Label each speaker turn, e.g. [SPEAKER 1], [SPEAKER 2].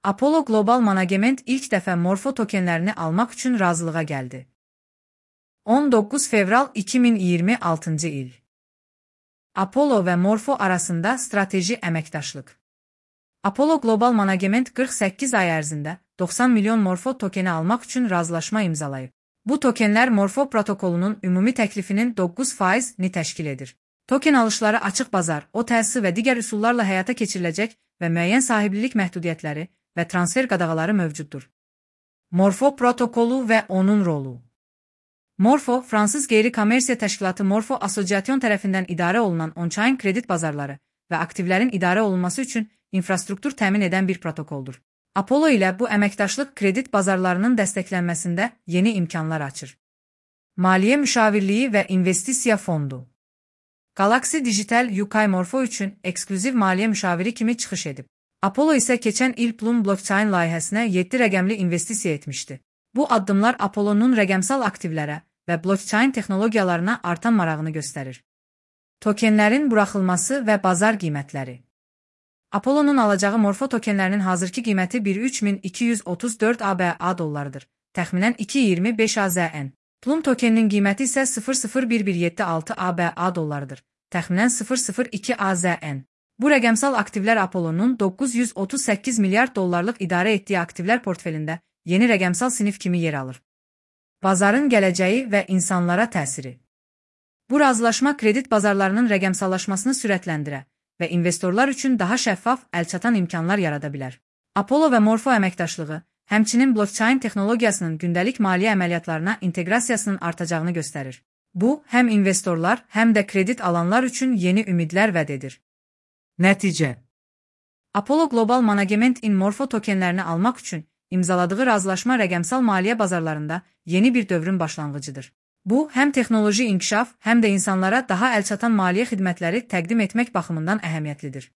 [SPEAKER 1] Apollo Global Management ilk dəfə Morpho tokenlərini almaq üçün razılığa gəldi. 19 fevral 2026 il. Apollo və Morpho arasında strateji əməkdaşlıq. Apollo Global Management 48 ay ərzində 90 milyon Morpho tokeni almaq üçün razılaşma imzalayıb. Bu tokenlər Morpho protokolunun ümumi təklifinin 9%-ni təşkil edir. Token alışları açıq bazar, OTC və digər üsullarla həyata keçiriləcək və müəyyən sahiblilik məhdudiyyətləri və transfer qadağaları mövcuddur. Morpho protokolu və onun rolu. Morpho, Fransız qeyri-kommersiya təşkilatı Morpho Association tərəfindən idarə olunan on-chain kredit bazarları və aktivlərin idarə olunması üçün infrastruktur təmin edən bir protokoldur. Apollo ilə bu əməkdaşlıq kredit bazarlarının dəstəklənməsində yeni imkanlar açır. Maliyyə müşavirliyi və investisiya fondu. Galaxy Digital UK Morpho üçün eksklüziv maliyyə müşaviri kimi çıxış edib. Apollo isə keçən il Plum blockchain layihəsinə 7 rəqəmli investisiya etmişdi. Bu addımlar Apollo'nun rəqəmsal aktivlərə və blockchain texnologiyalarına artan marağını göstərir. Tokenlərin buraxılması və bazar qiymətləri. Apollo'nun alacağı Morpho tokenlərinin hazırki qiyməti 13234 ABA dollarıdır, təxminən 2.25 AZN. Plum tokeninin qiyməti isə 0.01176 ABA dollarıdır, təxminən 0.02 AZN. Bu rəqəmsal aktivlər Apollo'nun 938 milyard dollarlıq idarə etdiyi aktivlər portfelində yeni rəqəmsal sinif kimi yer alır. Bazarın gələcəyi və insanlara təsiri. Bu razılaşma kredit bazarlarının rəqəmsallaşmasını sürətləndirə və investorlar üçün daha şəffaf, əlçatan imkanlar yarada bilər. Apollo və Morpho əməkdaşlığı, həmçinin blockchain texnologiyasının gündəlik maliyyə əməliyyatlarına inteqrasiyasının artacağını göstərir. Bu, həm investorlar, həm də kredit alanlar üçün yeni ümidlər vəd edir. Nəticə. Apollo Global Management in Morpho tokenlərini almaq üçün imzaladığı razılaşma rəqəmsal maliyyə bazarlarında yeni bir dövrün başlanğıcıdır. Bu, həm texnoloji inkişaf, həm də insanlara daha əlçatan maliyyə xidmətləri təqdim etmək baxımından əhəmiyyətlidir.